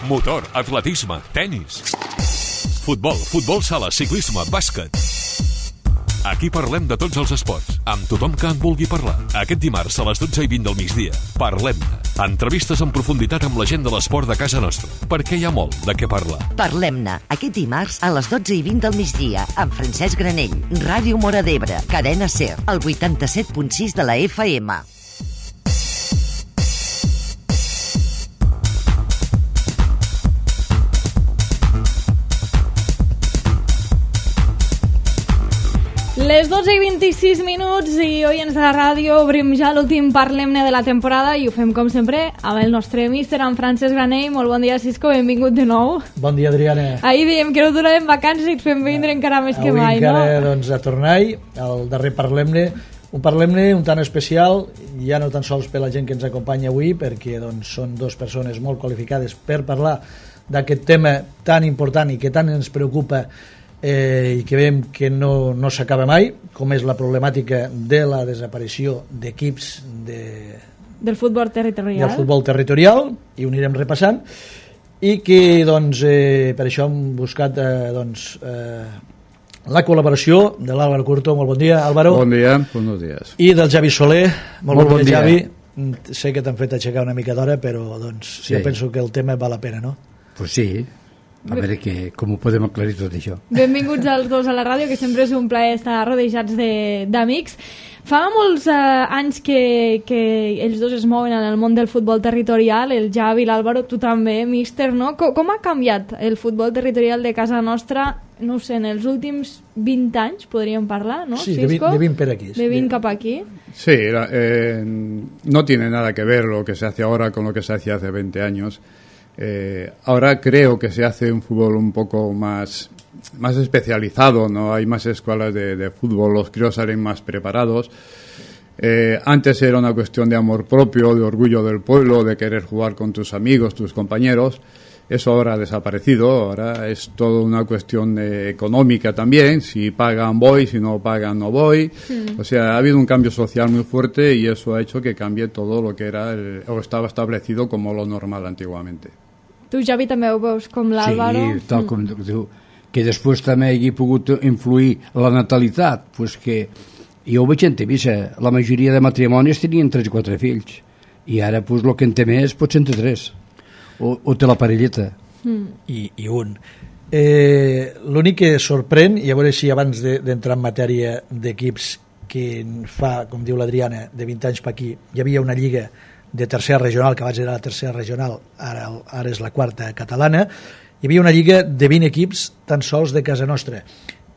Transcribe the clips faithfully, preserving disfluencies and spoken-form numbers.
motor, atletisme, tennis, futbol, futbol sala, ciclisme, bàsquet. Aquí parlem de tots els esports, amb tothom que en vulgui parlar. Aquest dimarts a les dotze i vint del migdia, parlem-ne. Entrevistes en profunditat amb la gent de l'esport de casa nostra, perquè hi ha molt de què parlar. Parlem-ne, aquest dimarts a les dotze i vint del migdia, amb Francesc Granell, Ràdio Móra d'Ebre, Cadena SER, el vuitanta-set punt sis de la F M. Les dotze i vint-i-sis minuts i oients de la ràdio, obrim ja l'últim Parlem-ne de la temporada i ho fem com sempre amb el nostre míster, en Francesc Granell. Molt bon dia, Cisco, benvingut de nou. Bon dia, Adriana. Ahir dèiem que no tornàvem vacances i et fem vindre encara més que mai, no? Avui encara, doncs, a tornar-hi, al darrer Parlem-ne, un Parlem-ne un tant especial, ja no tan sols per la gent que ens acompanya avui, perquè doncs, són dues persones molt qualificades per parlar d'aquest tema tan important i que tant ens preocupa Eh, i que veiem que no, no s'acaba mai, com és la problemàtica de la desaparició d'equips de, del futbol territorial del futbol territorial, i ho anirem repassant, i que doncs, eh, per això hem buscat eh, doncs, eh, la col·laboració de l'Àlvaro Curto. Molt bon dia, Álvaro. Bon dia, buenos días. I del Javi Soler. Molt, molt bon, bon dia, dia, Javi. Sé que t'han fet aixecar una mica d'hora, però doncs, sí. Jo penso que el tema val la pena, no? Pues sí. A veure que, com ho podem aclarir tot això. Benvinguts als dos a la ràdio, que sempre és un plaer estar rodejats d'amics. Fa molts eh, anys que, que ells dos es mouen en el món del futbol territorial, el Javi i l'Àlvaro, tu també, míster, no? Com, com ha canviat el futbol territorial de casa nostra, no sé, en els últims vint anys, podríem parlar, no? Sí, de vint, de vint per aquí. De vint cap aquí. Sí, eh, no tiene nada que ver lo que se hace ahora con lo que se hacía hace veinte años. Eh, ahora creo que se hace un fútbol un poco más, más especializado, ¿no? Hay más escuelas de, de fútbol, los críos salen más preparados. Eh, antes era una cuestión de amor propio, de orgullo del pueblo, de querer jugar con tus amigos, tus compañeros. Eso ahora ha desaparecido, ahora es todo una cuestión de, económica también. Si pagan voy, si no pagan no voy. Mm. O sea, ha habido un cambio social muy fuerte y eso ha hecho que cambie todo lo que era el, o estaba establecido como lo normal antiguamente. Tu, Javi, també ho veus com l'Àlvaro? Sí, tal com diu, que després també hagi pogut influir la natalitat, pues que jo ho veig en Tivissa, la majoria de matrimonis tenien tres o quatre fills, i ara pues, el que en té més pot ser entre tres, o, o té la parelleta. Mm. I, i un. Eh, L'únic que sorprèn, i a veure si abans d'entrar de, en matèria d'equips, que fa, com diu l'Adriana, de vint anys per aquí, hi havia una lliga de tercera regional, que abans era la tercera regional, ara, ara és la quarta catalana, hi havia una lliga de vint equips tan sols de casa nostra,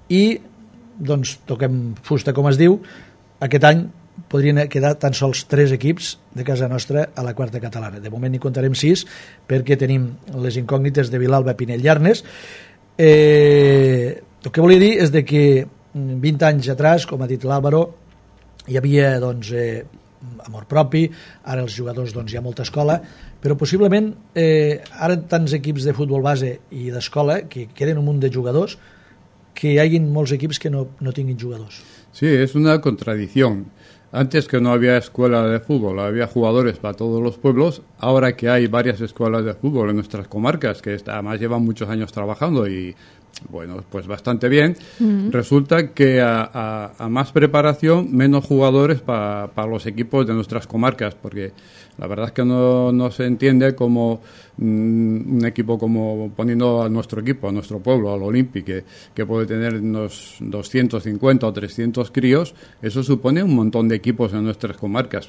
i doncs toquem fusta, com es diu, aquest any podrien quedar tan sols tres equips de casa nostra a la quarta catalana. De moment n'hi contarem sis, perquè tenim les incògnites de Vilalba, Pinell i Arnes. Eh, el que volia dir és de que vint anys atrás, com ha dit l'Àlvaro, hi havia doncs, eh, amor propi, ara els jugadors doncs, hi ha molta escola, però possiblement eh, ara tants equips de futbol base i d'escola que queden un munt de jugadors que hi hagin molts equips que no, no tinguin jugadors. Sí, es una contradicción. Antes que no había escuela de fútbol, había jugadores para todos los pueblos. Ahora que hay varias escuelas de fútbol en nuestras comarcas, que además llevan muchos años trabajando y, bueno, pues bastante bien, uh-huh. Resulta que a, a, a más preparación, menos jugadores para pa los equipos de nuestras comarcas, porque la verdad es que no, no se entiende como mmm, un equipo como, poniendo a nuestro equipo, a nuestro pueblo, al Olympic, que, que puede tener unos doscientos cincuenta o trescientos críos, eso supone un montón de equipos en nuestras comarcas.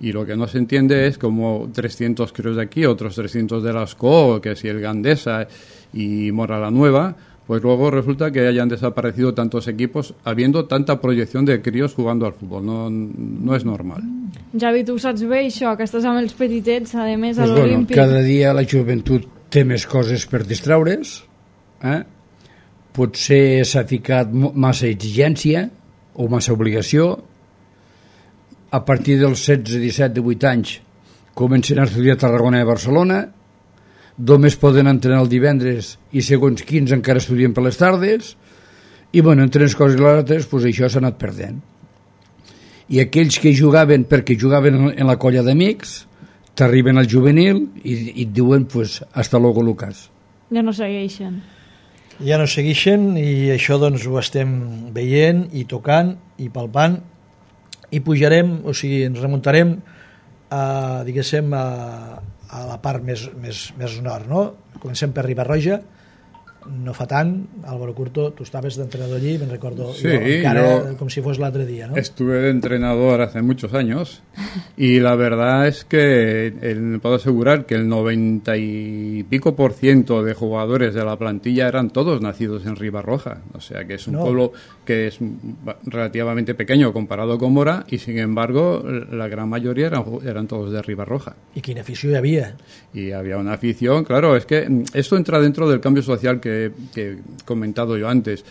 Y lo que no se entiende es como trescientos críos de aquí, otros trescientos de las C O, que si el Gandesa y Mora la Nueva, pues luego resulta que hayan desaparecido tantos equipos habiendo tanta proyección de críos jugando al fútbol. No, no es normal. Javi, tu saps bé això, que estàs amb els petitets, a més, pues a l'Olímpic. Bueno, cada dia la joventut té més coses per distraure's, eh? Potser s'ha ficat massa exigència o massa obligació. A partir dels setze, disset, divuit anys comencen a estudiar a Tarragona i a Barcelona, només poden entrenar el divendres i segons quins encara estudien per les tardes, i bueno, entre unes coses i les altres pues això s'ha anat perdent. I aquells que jugaven perquè jugaven en la colla d'amics t'arriben al juvenil i, i et diuen pues, hasta luego Lucas. Ja no segueixen. Ja no segueixen i això doncs ho estem veient i tocant i palpant i pujarem, o sigui, ens remuntarem a, diguéssim, a, a la part més, més, més nord, no? Comencem per Riba-roja, no fa tant, Álvaro Curto, tu estaves d'entrenador allí, me'n recordo, sí, jo, encara yo com si fos l'altre dia, ¿no? Estuve de entrenador hace muchos años y la verdad es que el, puedo asegurar que el noventa y pico por ciento de jugadores de la plantilla eran todos nacidos en Ribarroja, o sea que es un no. pueblo que es relativamente pequeño comparado con Mora y sin embargo la gran mayoría eran, eran todos de Ribarroja. ¿Y qué afición había? Y había una afición, claro, es que esto entra dentro del cambio social que que he comentado yo antes.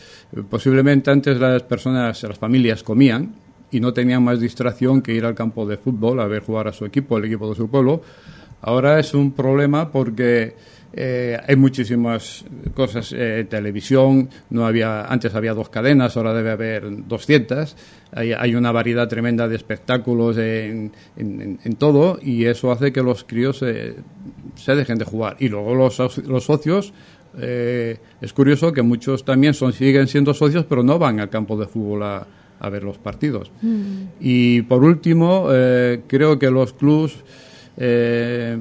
Posiblemente antes las personas, las familias comían y no tenían más distracción que ir al campo de fútbol a ver jugar a su equipo, el equipo de su pueblo. Ahora es un problema porque eh, hay muchísimas cosas, eh, televisión, no había, antes había dos cadenas, ahora debe haber doscientas, hay, hay una variedad tremenda de espectáculos en, en, en todo y eso hace que los críos eh, se dejen de jugar. Y luego los, los socios, Eh, es curioso que muchos también son, siguen siendo socios pero no van al campo de fútbol a, a ver los partidos. Mm. Y por último, eh, creo que los clubs eh,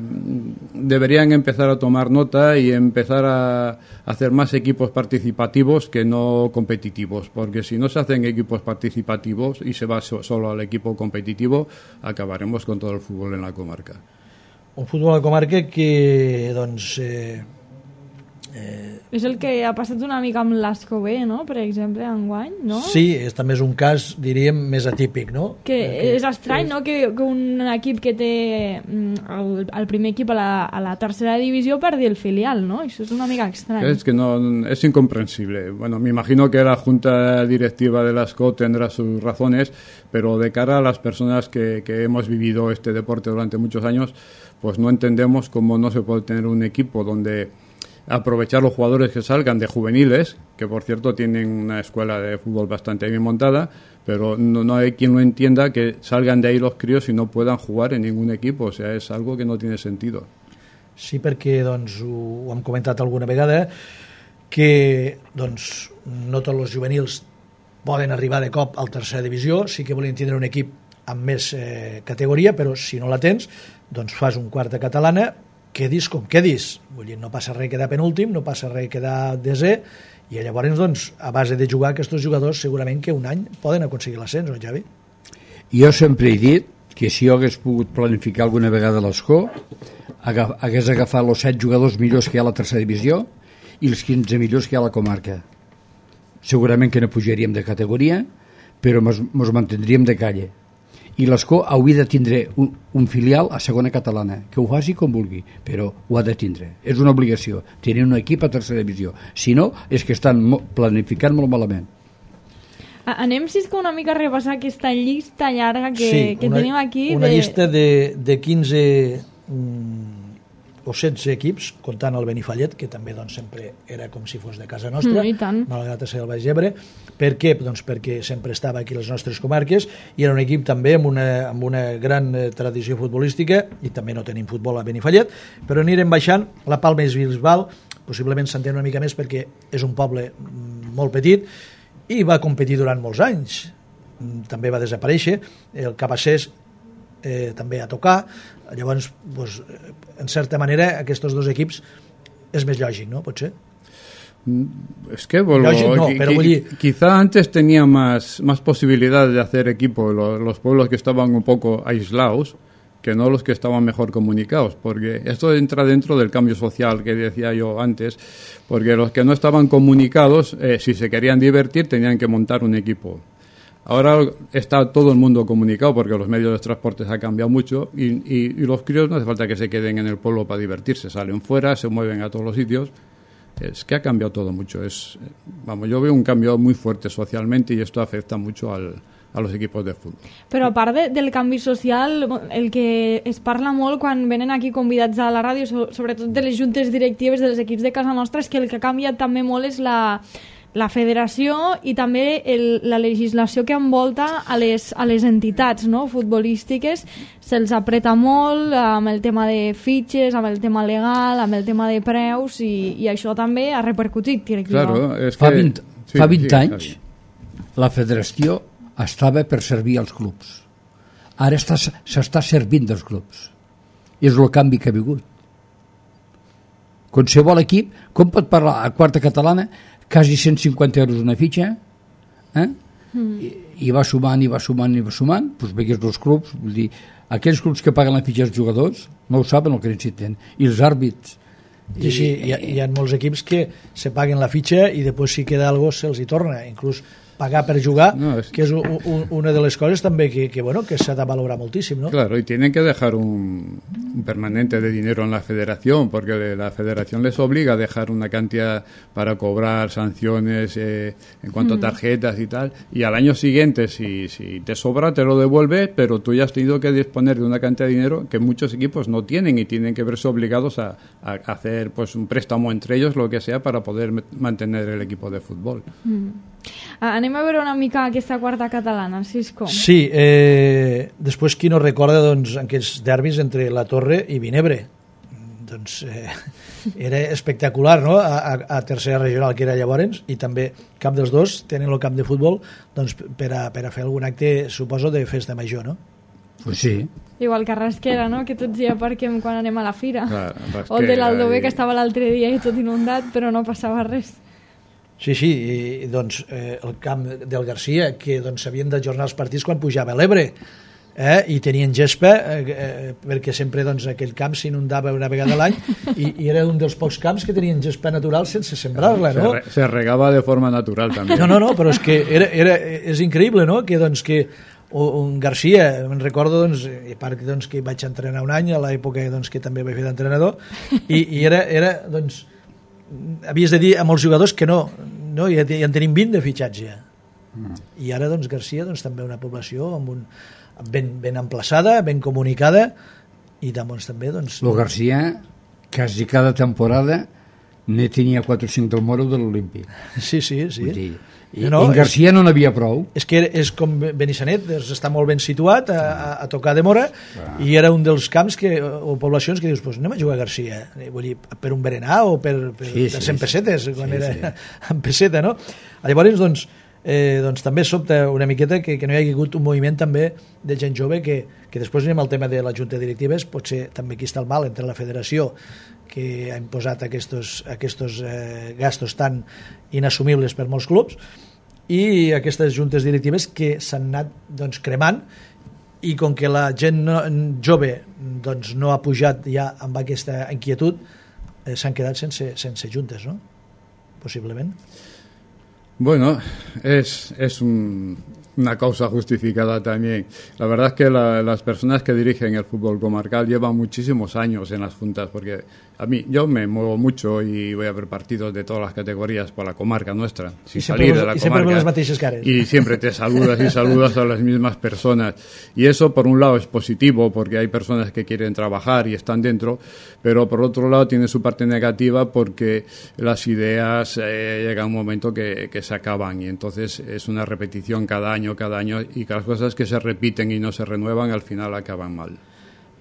deberían empezar a tomar nota y empezar a hacer más equipos participativos que no competitivos, porque si no se hacen equipos participativos y se va so, solo al equipo competitivo, acabaremos con todo el fútbol en la comarca. Un fútbol a la comarca que doncs eh... Eh... és el que ha passat una mica amb l'Asco B, no? Per exemple, enguany, no? Sí, és, també és un cas, diríem, més atípic, no? Que Perquè és estrany, és... no? Que, que un equip que té el, el primer equip a la, a la tercera divisió perdi el filial, ¿no? Eso es una mica extraño. Es que no, es incomprensible. Bueno, me imagino que la junta directiva de l'Asco tendrá sus razones, pero de cara a las personas que, que hemos vivido este deporte durante muchos años, pues no entendemos cómo no se puede tener un equipo donde aprovechar los jugadores que salgan de juveniles, que por cierto tienen una escuela de fútbol bastante bien montada, pero no, no hay quien lo entienda que salgan de ahí los críos y no puedan jugar en ningún equipo, o sea, es algo que no tiene sentido. Sí, perquè doncs, ho, ho hem comentat alguna vegada, que doncs, no tots els juvenils poden arribar de cop a la tercera divisió, sí que volen tindre un equip amb més eh, categoria, però si no la tens, doncs fas un quart de catalana, quedis com quedis, vull dir, no passa res quedar penúltim, no passa res quedar desè, i llavors, doncs, a base de jugar aquests jugadors, segurament que un any poden aconseguir l'ascens, no, Javi? Jo sempre he dit que si jo hagués pogut planificar alguna vegada l'Escó, hagués agafat els set jugadors millors que hi ha a la tercera divisió i els quinze millors que hi ha a la comarca. Segurament que no pujaríem de categoria, però ens mantindríem de calle. I l'Escó hauria de tindre un, un filial a segona catalana, que ho faci com vulgui, però ho ha de tindre. És una obligació, tenir un equip a tercera divisió. Si no, és que estan planificant molt malament. Anem, si és que una mica a repassar aquesta llista llarga que, sí, que una, tenim aquí. Una de... llista de, de quinze mm, o setze equips, comptant el Benifallet, que també doncs, sempre era com si fos de casa nostra, mm, malgrat ser el Baix Ebre. Per què? Doncs perquè sempre estava aquí a les nostres comarques i era un equip també amb una, amb una gran eh, tradició futbolística, i també no tenim futbol a Benifallet, però anirem baixant. La Palma i Bisbal possiblement s'entén una mica més perquè és un poble molt petit i va competir durant molts anys. També va desaparèixer. El Cabassers eh, també a tocar. Llavors, doncs, en certa manera, aquests dos equips és més lògic, no? Potser? Es que vuelvo, lògic, no, però vull dir... quizá antes tenía más, más posibilidades de hacer equipo los, los pueblos que estaban un poco aislados que no los que estaban mejor comunicados, porque esto entra dentro del cambio social que decía yo antes, porque los que no estaban comunicados, eh, si se querían divertir, tenían que montar un equipo. Ahora está todo el mundo comunicado porque los medios de transporte han cambiado mucho y, y, y los críos no hace falta que se queden en el pueblo para divertirse, salen fuera, se mueven a todos los sitios. Es que ha cambiado todo mucho. Es, vamos, yo veo un cambio muy fuerte socialmente y esto afecta mucho al, a los equipos de fútbol. Però a part de, del canvi social, el que es parla molt quan venen aquí convidats a la ràdio, so, sobretot de les juntes directives dels equips de casa nostra, és que el que ha canviat també molt és la la federació i també el, la legislació que envolta a les, a les entitats, no?, futbolístiques. Se'ls apreta molt amb el tema de fitxes, amb el tema legal, amb el tema de preus, i, i això també ha repercutit, crec claro, jo. es que... Fa vint, sí, fa vint sí, anys la federació estava per servir als clubs. Ara està, s'està servint dels clubs. És el canvi que ha vingut. Qualsevol equip, com pot parlar a quarta catalana, quasi cent cinquanta euros una fitxa, eh? Mm. I, i va sumant, i va sumant, i va sumant, doncs vegués els clubs, vull dir, aquells clubs que paguen la fitxa als jugadors no ho saben el que necessiten, i els àrbits. I sí, hi ha, hi ha molts equips que se paguen la fitxa i després si queda algo se'ls hi torna, inclús pagar per jugar, no, es... que és un, un, una de les coses també que, que, bueno, que s'ha de valorar moltíssim, ¿no? Claro, y tienen que dejar un, un permanente de dinero en la federación, porque la federación les obliga a dejar una cantidad para cobrar sanciones eh, en cuanto mm. a tarjetas y tal, y al año siguiente, si, si te sobra, te lo devuelve, pero tú ya has tenido que disponer de una cantidad de dinero que muchos equipos no tienen y tienen que verse obligados a, a hacer pues un préstamo entre ellos, lo que sea, para poder mantener el equipo de fútbol. Mm. Anem a veure una mica aquesta quarta catalana, Cisco. Sí, eh, després qui no recorda doncs, aquests derbis entre la Torre i Vinebre, doncs eh, era espectacular, no?, a, a, a tercera regional que era llavors, i també cap dels dos tenen el camp de futbol doncs, per, a, per a fer algun acte, suposo, de festa major, no? Pues sí. Igual que a Rasquera, no?, que tots hi aparquem quan anem a la fira. Clar, o el de l'Aldover, i... que estava l'altre dia i tot inundat, però no passava res. Sí, sí, i doncs eh, el camp del Garcia, que doncs s'havien d'ajornar els partits quan pujava l'Ebre, eh, i tenien gespa, eh, eh, perquè sempre doncs, aquell camp s'inundava una vegada a l'any, i, i era un dels pocs camps que tenien gespa natural sense sembrar-la, no? Se, re, se regava de forma natural també. No, no, no, però és que era, era, és increïble, no?, que doncs que un Garcia, me'n recordo doncs, i a part doncs, que vaig entrenar un any a l'època doncs, que també vaig fer d'entrenador, i, i era, era doncs havies de dir a molts jugadors que no, no ja, ja en tenim vint de fitxatge. Mm. I ara doncs Garcia doncs, també una població amb un, ben, ben emplaçada, ben comunicada, i doncs, també doncs... Lo Garcia quasi cada temporada ne tenia quatre o cinc del Moro de l'Olímpic. Sí, sí, sí. Vull dir, i no, en Garcia és, no n'havia prou. És que és com Benissanet, està molt ben situat a, a, a tocar de Mora, ah. i era un dels camps que, o poblacions que dius, pues anem a jugar a Garcia, vull dir, per un berenar o per, per, sí, per cent sí, pessetes, sí, quan sí, era sí. en pesseta, no? Llavors, doncs, eh, doncs també sobta una miqueta que, que no hi hagi hagut un moviment també de gent jove que, que després anem al tema de la junta directives, potser també aquí està el mal entre la federació que ha imposat aquests, aquests eh, gastos tan inassumibles per molts clubs i aquestes juntes directives que s'han anat doncs, cremant, i com que la gent no, jove doncs, no ha pujat ja amb aquesta inquietud, eh, s'han quedat sense, sense juntes, no? Possiblement. Bueno, es, es un, una causa justificada también. La verdad es que la, las personas que dirigen el fútbol comarcal llevan muchísimos años en las juntas, porque a mí, yo me muevo mucho y voy a ver partidos de todas las categorías por la comarca nuestra, sin salir de la y comarca. Y siempre te saludas y saludas a las mismas personas. Y eso, por un lado, es positivo, porque hay personas que quieren trabajar y están dentro, pero por otro lado tiene su parte negativa, porque las ideas eh, llega un momento que, que se acaban, y entonces es una repetición cada año, cada año, y que las cosas que se repiten y no se renuevan al final acaban mal.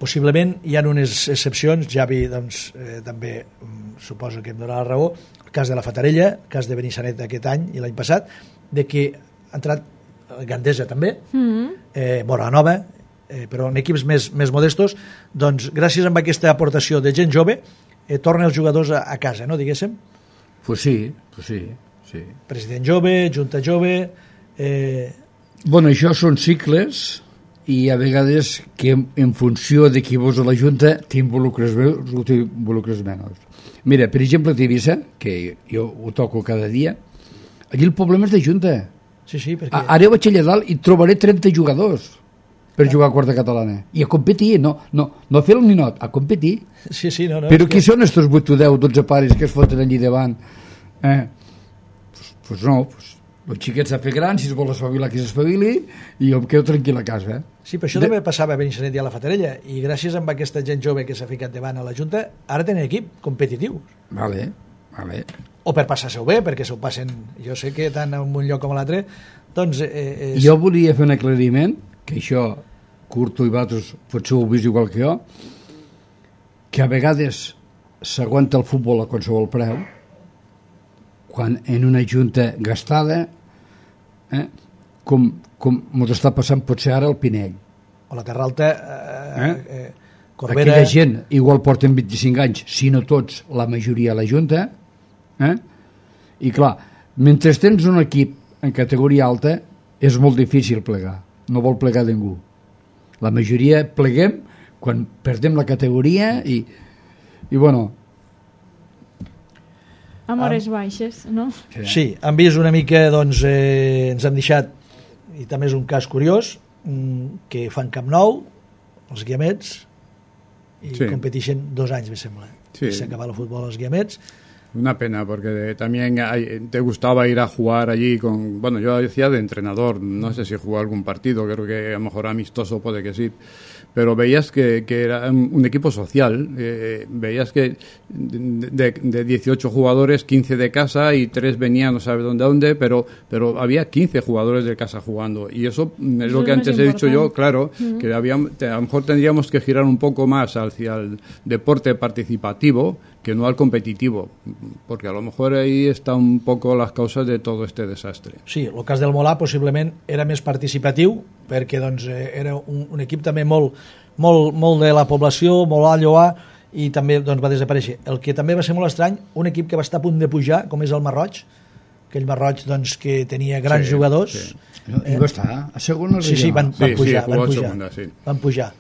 Possiblement hi ha unes excepcions, Javi doncs, eh, també mm, suposo que em donarà la raó, el cas de la Fatarella, el cas de Benissanet aquest any i l'any passat, de que ha entrat Gandesa també, mm-hmm. eh, Moranova, eh, però en equips més, més modestos, doncs gràcies a aquesta aportació de gent jove eh, tornen els jugadors a, a casa, no, diguéssim? Pues sí, pues sí, sí. President jove, junta jove... Eh... Bueno, això són cicles, i a vegades que en funció de qui vols a la Junta t'involucres més o t'involucres menys. Mira, per exemple, a Tivissa, que jo ho toco cada dia, allí el problema és de Junta. Sí, sí, perquè... Ara vaig allà dalt i trobaré trenta jugadors per ah. jugar a quarta catalana. I a competir, no, no, no a fer el ninot, a competir. Sí, sí, no, no. Però qui que... són estos vuit o deu, dotze pares que es foten allí davant? Eh? Pues, pues no, pues el xiquet s'ha fet gran, si es vol espavilar que s'espavili, i jo em quedo tranquil a casa. Eh? Sí, però això de... també passava a Benissanet i a la Fatarella, i gràcies a aquesta gent jove que s'ha ficat davant a la Junta, ara tenen equip competitiu. Vale, vale. o per passar-se-ho bé, perquè s'ho passen, jo sé que tant en un lloc com a l'altre, doncs... Eh, és... Jo volia fer un aclariment, que això, Curto i vosaltres potser ho heu vist igual que jo, que a vegades s'aguanta el futbol a qualsevol preu, quan en una junta gastada, eh, com, com ens està passant potser ara al Pinell. O la Carralta... Eh, eh? eh, Corbera... Aquella gent igual porten vint-i-cinc anys, si no tots, la majoria a la Junta, eh? I clar, mentre tens un equip en categoria alta, és molt difícil plegar, no vol plegar ningú. La majoria pleguem quan perdem la categoria i, i bueno... Amb hores baixes, no? Sí, han vist una mica, doncs, eh, ens han deixat, i també és un cas curiós, que fan Camp Nou, els Guiamets, y sí. competeixen dos anys, me sembla. Sí. Se acaba el futbol als Guiamets. Una pena, porque también hay, te gustaba ir a jugar allí con... Bueno, yo decía de entrenador, no sé si jugó algún partido, creo que a lo mejor amistoso puede que sí, pero veías que, que era un equipo social, eh, veías que de, de dieciocho jugadores, quince de casa y tres venían no sabe dónde, dónde, pero, pero había quince jugadores de casa jugando, y eso es eso lo que antes he dicho yo, claro, uh-huh. que había, a lo mejor tendríamos que girar un poco más hacia el deporte participativo que no al competitivo, porque a lo mejor ahí està un poco las causas de todo este desastre. Sí, el cas del Molà possiblement era més participatiu, perquè doncs, era un, un equip també molt, molt, molt de la població, molt a lloar, i també doncs, va desaparèixer. El que també va ser molt estrany, un equip que va estar a punt de pujar, com és el Marroig, aquell Marroig doncs, que tenia grans sí, jugadors. Sí. No, I va estar a segona sí, sí, van, van sí, pujar, sí, van pujar, segunda, sí. van pujar.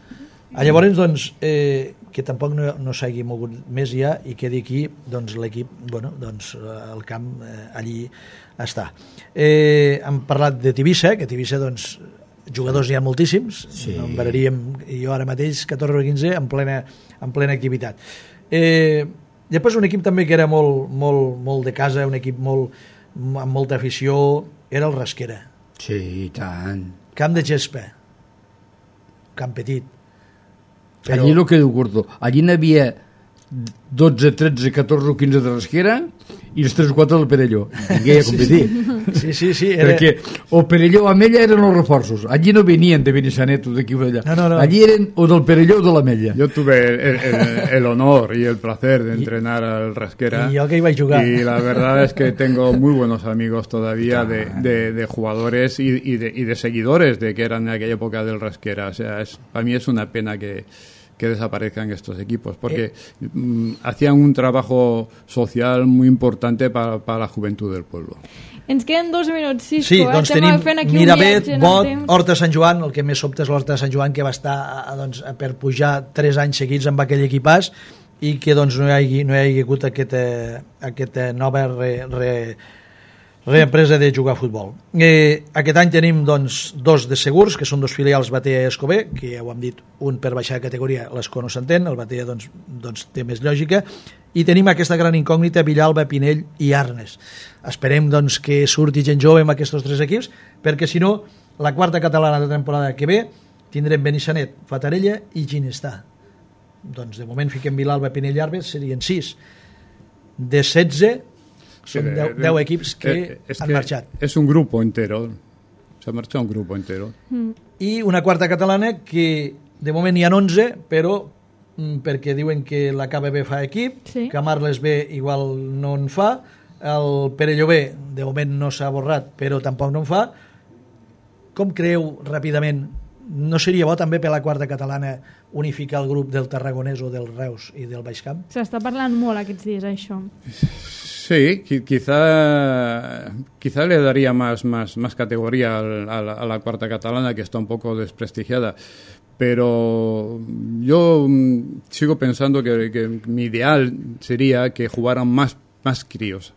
A llavors, doncs, eh, que tampoc no, no s'hagi mogut més ja i quedi aquí, doncs l'equip, bueno, doncs el camp eh, allí està. Eh, hem parlat de Tivissa, que Tivissa, doncs, jugadors n'hi ha moltíssims, sí. En veraríem jo ara mateix catorze o quinze en plena, en plena activitat. Eh, després un equip també que era molt, molt, molt de casa, un equip molt, amb molta afició, era el Rasquera. Sí, i tant. Camp de gespa, camp petit. Però... Allí el que diu Curto, allí n'hi havia dotze, tretze, catorze o quinze de Rasquera i els tres o quatre del Perelló. Vingué a competir. Sí, sí, sí. Era... Perquè o Perelló o Amella eren els reforços. Allí no venien de Benissanet o d'aquí o d'allà. No, no, no. Allí eren o del Perelló o de l'Amella. Yo tuve el, el, el honor y el placer de entrenar al Rasquera. Y yo que iba a jugar. Y la verdad es que tengo muy buenos amigos todavía de, de, de jugadores y, y, de, y de seguidores de que eran en aquella época del Rasquera. O sea, es, para mí es una pena que... que desaparezcan estos equipos, porque eh. mm, hacían un trabajo social muy importante para, para la juventud del pueblo. Ens queden dos minuts, Cisco. Sí, doncs eh? tenim Miravet, Bot, Horta Sant Joan, el que més sobta és l'Horta Sant Joan, que va estar doncs, per pujar tres anys seguits amb aquell equipàs i que doncs, no, hi hagi, no hi hagi hagut aquesta, aquesta nova re, re, reempresa de jugar a futbol. Eh, aquest any tenim doncs, dos de segurs, que són dos filials Batea i Escober, que ja ho hem dit, un per baixar de categoria, l'Esco no s'entén, el Batea doncs, doncs, té més lògica, i tenim aquesta gran incògnita Villalba, Pinell i Arnes. Esperem doncs, que surti gent jove amb aquests tres equips, perquè si no, la quarta catalana de temporada que ve tindrem Benissanet, Fatarella i Ginestà. Doncs de moment fiquem Villalba, Pinell i Arnes, serien sis. De setze són deu equips que eh, han que marxat. És un grup entero. S'ha marxat un grup entero. Mm. I una quarta catalana que de moment hi ha onze, però mm, perquè diuen que la K B B fa equip, sí. que Marles B igual no en fa, el Perelló B de moment no s'ha borrat, però tampoc no en fa. Com creu ràpidament, no seria bo també per la quarta catalana unificar el grup del Tarragonès o del Reus i del Baix Camp? S'està parlant molt aquests dies, això. Sí, quizá, quizá le daría más, más, más categoría al, a, la, a la cuarta catalana, que está un poco desprestigiada. Pero yo sigo pensando que, que mi ideal sería que jugaran más, más críos,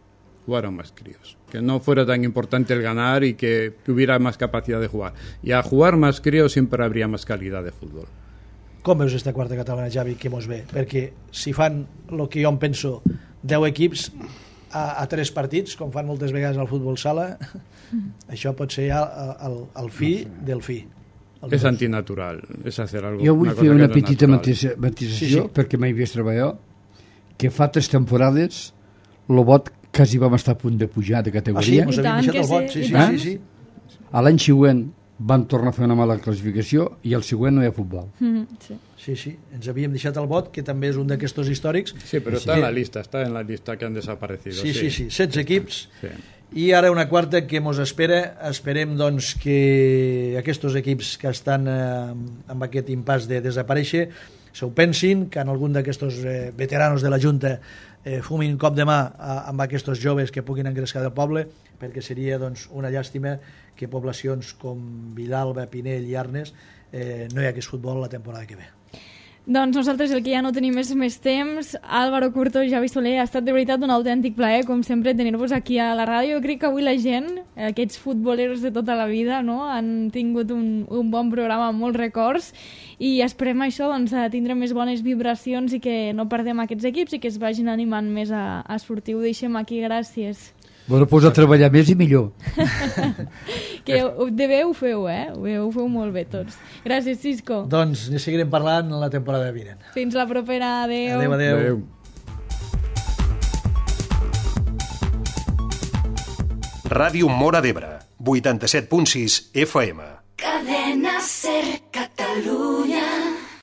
jugaran más críos. Que no fuera tan importante el ganar y que, que hubiera más capacidad de jugar. Y a jugar más críos siempre habría más calidad de fútbol. Com veus esta quarta catalana, Javi, que mos ve? Perquè si fan el que jo em penso, deu equips a, a tres partits, com fan moltes vegades al futbol sala, això pot ser ja el, el fi del fi. És antinatural, és hacer algo. Jo vull una fer una no petita matisació, sí, sí. perquè m'he vist treballar, que fa tres temporades el Bot quasi vam estar a punt de pujar de Ah, sí, categoria. mos I havíem tant deixat que el vot. sí, Sí, i sí, tant. sí, sí. A l'any següent vam tornar a fer una mala classificació i el següent no hi ha futbol. Mm, sí. Sí, sí, ens havíem deixat el vot, que també és un d'aquestos històrics. Sí, pero está en la lista, está en la lista que han desaparecido. Sí, sí, sí, setze equips. Sí. I ara una quarta que mos espera. Esperem doncs, que aquests equips que estan eh, amb aquest impàs de desaparèixer s'ho pensin, que en algun d'aquests eh, veteranos de la Junta eh, fumin un cop de mà a, amb aquests joves que puguin engrescar del poble, perquè seria doncs, una llàstima que poblacions com Vilalba, Pinell i Arnes eh, no hi hagués futbol la temporada que ve. Doncs nosaltres el que ja no tenim és més temps. Álvaro Curto i Javi Soler, ha estat de veritat un autèntic plaer, com sempre, tenir-vos aquí a la ràdio. Jo crec que avui la gent, aquests futboleros de tota la vida, no?, han tingut un, un bon programa amb molts records i esperem això, doncs, a tindre més bones vibracions i que no perdem aquests equips i que es vagin animant més a, a sortir. Ho deixem aquí, gràcies. Bueno, pues a treballar més i millor. Que de bé ho feu, eh? Ho feu, ho feu molt bé tots. Gràcies, Cisco. Doncs ne seguirem parlant la temporada vinent. Fins la propera. Adéu. Adéu, adéu. Adeu. Ràdio Móra d'Ebre, vuitanta-set punt sis F M. Cadena Ser Catalunya.